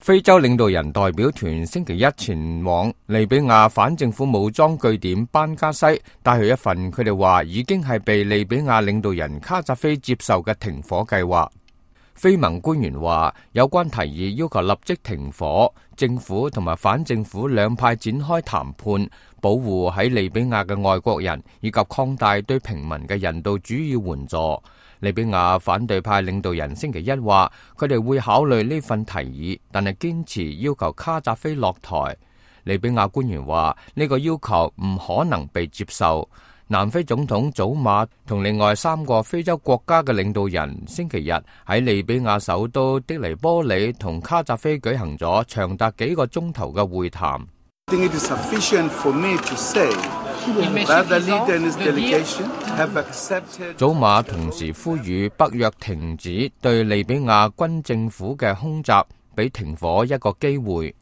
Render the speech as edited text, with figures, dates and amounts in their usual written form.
非洲領導人代表團星期一前往利比亞反政府武裝據點班加西，帶去一份佢哋話已經係被利比亞領導人卡扎菲接受嘅停火計劃。非盟官員話，有關提議要求立即停火，政府同埋反政府兩派展開談判，保護喺利比亞嘅外國人，以及擴大對平民嘅人道主義援助。利比亞反對派領導人星期一話，佢哋會考慮呢份提議，但係堅持要求卡扎菲落台。利比亞官員話，呢個要求唔可能被接受。南非總統祖馬同另外3個非洲國家嘅領導人星期日喺利比亞首都的黎波里同卡扎菲舉行咗長達幾個鐘頭嘅會談。祖馬同時呼籲北約停止對利比亞軍政府嘅空襲，俾停火一個機會。